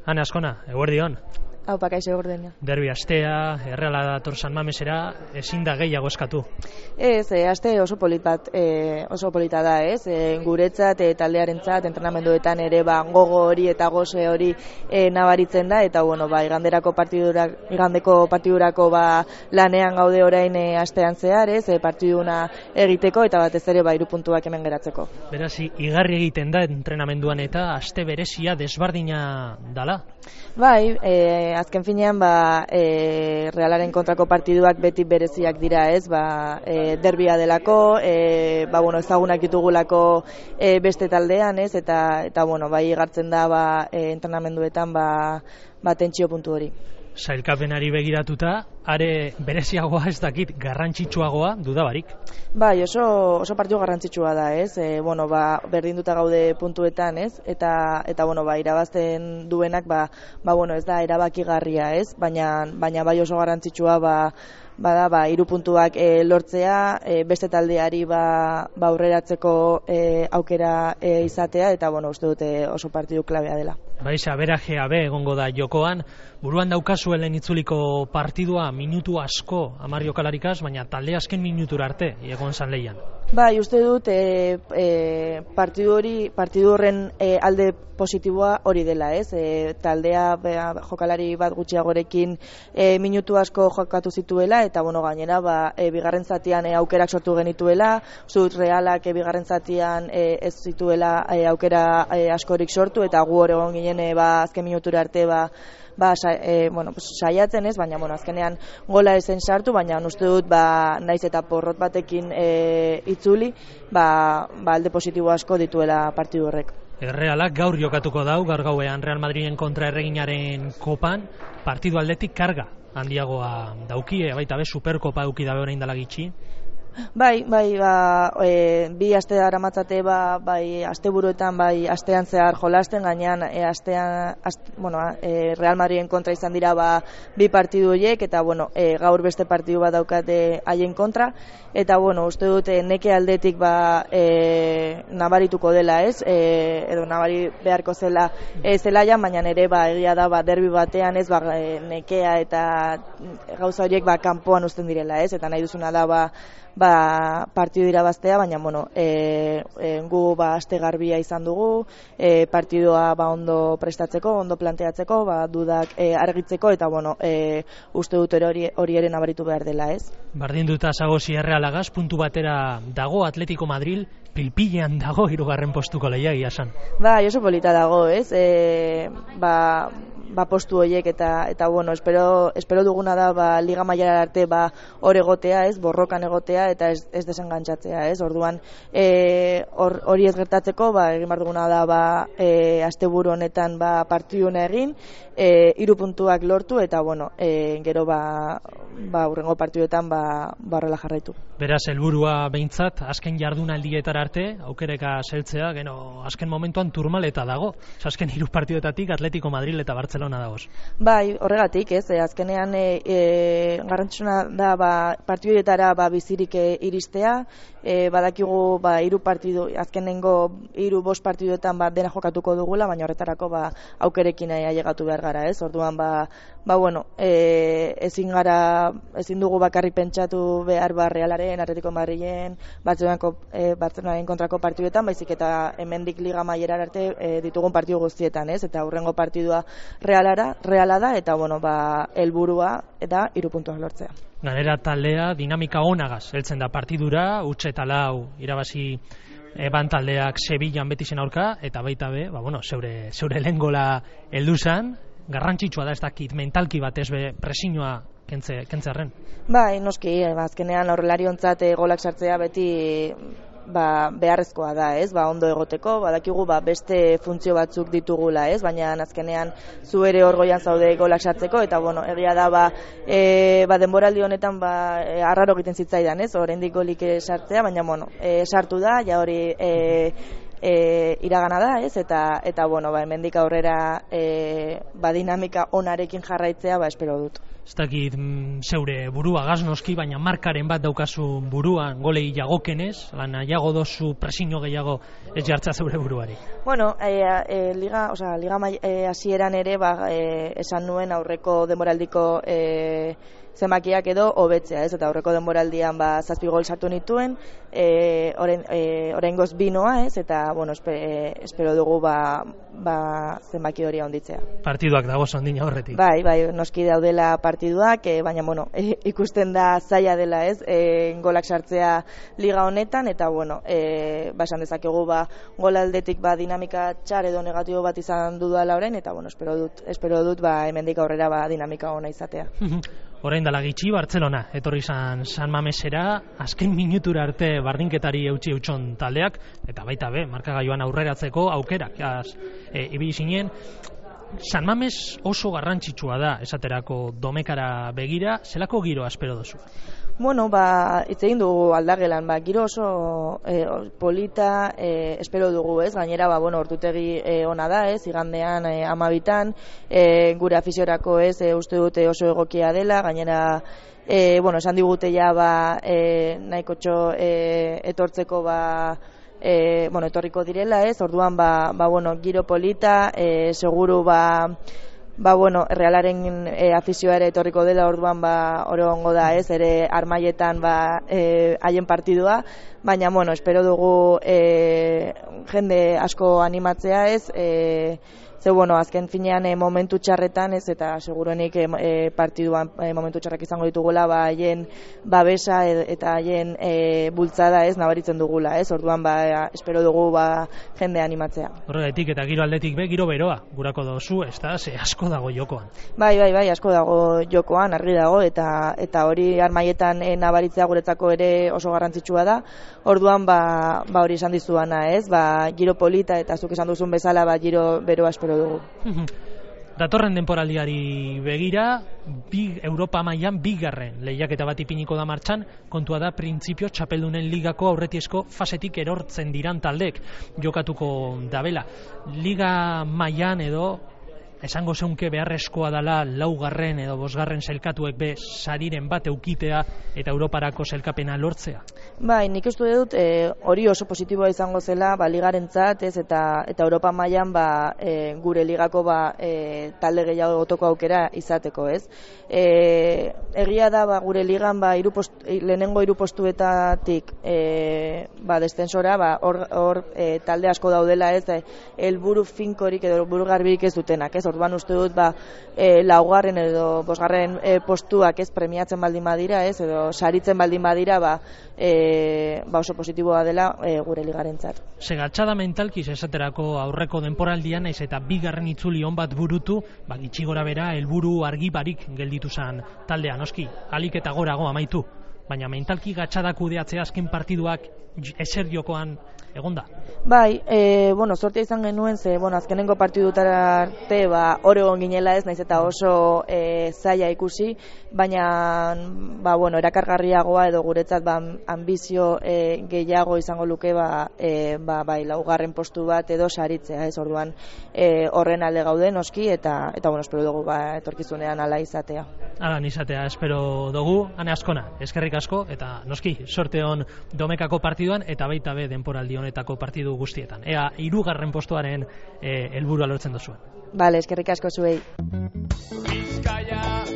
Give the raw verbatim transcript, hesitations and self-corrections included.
Ane Azkona, eguerdion. Hau, pakaixo eguerdion. Derbi astea, Erreala dator San Mamesera, ezin da gehiago eskatu. Ez, e, aste oso polit bat, e, oso polita da, ez? E, guretzat, e, taldearentzat, entrenamenduetan ere ba, gogo hori eta goze hori e, nabaritzen da, eta bueno, ba, iganderako partidurak, igandeko partidurako ba, lanean gaude orain e, astean zehar, ez? E, partiduna egiteko eta batez ere ba, hiru puntuak hemen geratzeko. Beraz, igarri egiten da entrenamenduan eta aste berezia desbardina dala? Bai, e, azken finean ba, e, Realaren kontrako partiduak beti bereziak dira, ez? Ba, e, derbia delako, e, ba, bueno, ezagunak ditugulako e, beste taldean, ez? Eta, eta bueno, bai igartzen da ba, e, entrenamenduetan ba, ba, tentsio puntu hori. Sailkapenari begiratuta, are bereziagoa ez dakit, garrantzitsuagoa dudabarik. Bai, oso, oso partidu garrantzitsua da, ez? E, bueno, ba, berdinduta gaude puntuetan, ez? Eta, eta bueno, ba, irabazten duenak, ba, ba, bueno, ez da erabakigarria, ez? Baina, baina bai oso garrantzitsua, ba, bada, ba, hiru puntuak e, lortzea, e, beste taldeari ba, ba aurreratzeko e, aukera e, izatea, eta bueno, uste dute oso partidu klabea dela. Baixa, berajea be egongo da jokoan, buruan daukazuen itzuliko partidua minutu asko hamar jokalarikaz, baina talde azken minutura arte egon zan lehian. Bai, uste dut e, e, partidu hori, partidu horren e, alde positiboa hori dela, ez? E, taldea be, jokalari bat gutxiagorekin e, minutu asko jokatu zituela, eta bueno, gainera ba, e, bigarren zatian e, aukerak sortu genituela, uste dut Realak e, bigarren zatian e, ez zituela e, aukera e, askorik sortu, eta gu hor egon ginen e, ba, azken minutura arte ba, ba, sa, e, bueno, pues, saiatzen ez, baina bueno, azkenean gola esen sartu, baina uste dut ba, naiz eta porrot batekin e, itzuli, ba, ba, alde positibo asko dituela partidu horrek. Errealak gaur jokatuko dau, gaur gauean Real Madriden kontra erreginaren kopan, partidu aldetik karga handiagoa daukie, baita be Superkopa eduki dabe orain dela gitxi. Bai, bai, ba, e, bi aste daramatzate ba, bai, asteburuetan bai astean zehar jolasten, gainean e, astean, aste, bueno, e, Real Madriden kontra izan dira ba, bi partidu horiek, eta bueno, e, gaur beste partidu bat daukate haien kontra, eta bueno, uste dute neke aldetik ba, e, nabarituko dela, ez? E, edo nabari beharko zela e, zelaian, baina ere ba, egia da ba, derbi batean, ez, ba, e, nekea eta gauza horiek ba, kanpoan uzten direla, ez? Eta nahi duzuna da ba, ba, partidu irabaztea, baina bueno, e, e, gu ba, aste garbia izan dugu, e, partidua ba, ondo prestatzeko, ondo planteatzeko, ba, dudak e, argitzeko, eta bueno, e, uste dut hori, hori ere nabaritu behar dela, ez? Bardin duta zagozi Errealagaz, puntu batera dago Atletico Madrid, pilpilean dago hirugarren postuko lehiagia esan. Ba, oso polita dago, ez? E, ba, ba postu horiek eta eta bueno, espero espero duguna da ba liga mailara arte ba hor egotea, ez? Borrokan egotea eta ez ez desengantzatzea, ez? Orduan eh hori ez gertatzeko, ba egin bar duguna da ba e, asteburu honetan ba partiduna egin, eh hiru puntuak lortu eta bueno, e, gero ba ba hurrengo partiduetan ba barrela jarraitu. Beraz helburua beintzat azken jardunaldietara arte aukereka seltzea, gero azken momentuan turmaleta dago. Azken hiru partiduetatik Atletico Madrid eta Barcelona dagoz. Bai, horregatik, ez, e, azkenean e, e, garrantzitsuna da ba partiduetara ba bizirik e, iristea, e, badakigu ba hiru partidu azkenengo hiru bost partiduetan ba dena jokatuko dugula, baina horretarako ba aukerekin ailegatu behar gara, ez? Orduan ba ba bueno, e, ezin gara ezin dugu bakarrik pentsatu behar ba Realaren, Atletico Madrilen, Barcelonako e, Barcelonaren kontrako partiduetan, baizik eta hemendik liga mailara arte e, ditugun partidu guztietan, ez? Eta hurrengo partidua Realara, Reala da eta bueno, ba helburua eta hiru puntuak lortzea. Ganera taldea dinamika onagaz heltzen da partidura, utxe eta lau irabazi eban taldeak Sevillan Betisen aurka, eta baita be, ba bueno, zeure zeure lehen gola heldu zan, garrantzitsua da ez dakit mentalki batez be presioa kentze kentzarren. Bai, noski, azkenean aurrelariontzat e, golak sartzea beti ba, beharrezkoa da, ez? Ba, ondo egoteko, badakigu ba, beste funtzio batzuk ditugula, ez? Baina azkenean zu ere hor goian zaude golak sartzeko, eta bueno, egia da ba, e, ba denboraldi honetan ba e, arraro egiten zitzaidan, ez? Oraindik golik sartzea, baina bueno, e, sartu da, ja hori e, e, iragana da, ez? Eta eta bueno, ba hemendik aurrera e, ba dinamika onarekin jarraitzea, ba espero dut. ez dakit mm, zeure burua gaznoski, baina markaren bat daukazu buruan, golei jagokenez, lan nahiago dozu presiño gehiago ez jartza zeure buruari. Bueno, e, e, liga, osea, liga hasieran e, ere, ba, e, esan nuen aurreko denboraldiko e, zenbakiak edo hobetzea, ez? Eta aurreko denboraldian ba zazpi gol sartu nituen, eh orain eh oraingoz bi noa, ez? Eta bueno, espe, espero dugu ba, ba zenbaki hori handitzea. Partiduak dago sondina horretik. Bai, bai, noski daudela partiduak, e, baina bueno, e, ikusten da zaila dela, ez? E, golak sartzea liga honetan eta bueno, eh ba esan dezakegu ba gol aldetik ba dinamika txar edo negatibo bat izan dudala orain eta bueno, espero dut, espero dut ba hemendik aurrera ba dinamika ona izatea. Orain dela gitxi Bartzelona etorri izan San Mamesera, azken minutura arte bardinketari eutsi eutxon taldeak, eta baita be, markagailuan aurreratzeko aukerak, e, ibili zinen. San Mames oso garrantzitsua da, esaterako domekara begira, zelako giroa espero duzu? Bueno, ba, hitz egin dugu aldagelan, ba, giro oso e, polita e, espero dugu, ez? Gainera, ba, bueno, ordutegi e, ona da, ez? Igandean e, amabitan, e, gure afiziorako, ez? E, uste dute oso egokia dela, gainera, e, bueno, esan digute ja, ba, e, nahiko txo e, etortzeko, ba, e, bueno, etorriko direla, ez? Orduan, ba, ba bueno, giro polita, e, seguru, ba, ba bueno, Realaren e, afizioa ere etorriko dela, orduan ba oro ongo da, ez, ere armaietan ba e, haien partidua, baina bueno, espero dugu e, jende asko animatzea, ez, e, ze bueno, azken finean e, momentu txarretan, ez, eta seguruenik e, partiduan e, momentu txarrak izango ditugula, ba haien babesa e, eta haien e, bultzada, ez, nabaritzen dugula, ez, orduan ba espero dugu ba jende animatzea. Horregatik eta giro aldetik be, giro beroa gurako dozu, ez da, ze asko dago jokoan. Bai, bai, bai, asko dago jokoan, argi dago, eta eta hori armaietan e, nabaritzea guretzako ere oso garrantzitsua da. Orduan ba, ba hori esan dizuana, ez? Ba, giro polita eta zuk esan duzun bezala, ba giro beroa espero dugu. Datorren denporaldiari begira, bi Europa mailan bigarren lehiaketa bat ipiniko da martxan, kontua da printzipio txapeldunen ligako aurretiezko fasetik erortzen diran taldek jokatuko dabela. Liga mailan edo esango zeunke beharrezkoa dela laugarren edo bosgarren sailkatuek be sariren bat eukitea eta Europarako sailkapena lortzea? Bai, nik uste dut e, hori oso positiboa izango zela ba, ligarentzat, ez, eta, eta Europa mailan ba, e, gure ligako ba, e, talde gehiago gotoko aukera izateko, ez. E, egia da ba, gure ligan ba, iru post, lehenengo hiru postuetatik e, ba, destensora ba, hor, hor e, talde asko daudela, ez, e, helburu finkorik edo helburu garbirik ez dutenak, ez. Orduan uste dut ba, e, laugarren edo bosgarren e, postuak ez premiatzen baldin badira, ez, edo saritzen baldin badira, ba, e, ba oso positiboa dela e, gure ligarentzat. Segatxada mentalkiz esaterako aurreko denporaldian naiz eta bigarren itzuli on bat burutu, ba gitxi gora bera helburu argi barik gelditu zen taldea, noski, alik eta gorago amaitu. Baina mentalki gatxada kudeatzea azken partiduak eser jokoan egonda. Bai, e, bueno, sortea izan genuen, ze, bueno, azkenengo partidutara arte, ba, Oregon ginela ez, naiz eta oso e, zaila ikusi, baina, ba, bueno, erakargarriagoa edo guretzat, ba, ambizio e, gehiago izango luke, ba, e, ba, bai, laugarren postu bat edo saritzea, ez, orduan, e, horren alde gaude noski, eta, eta, bueno, espero dugu, ba, etorkizunean ala izatea. Ala izatea, espero dugu, ane askona, eskerrik asko, eta noski, sorte hon domekako partiduan, eta baita be denporaldi honetako partidu guztietan. Ea, hirugarren postuaren helburua lortzen duzuen. Bale, eskerrik asko zuei. Bizkaia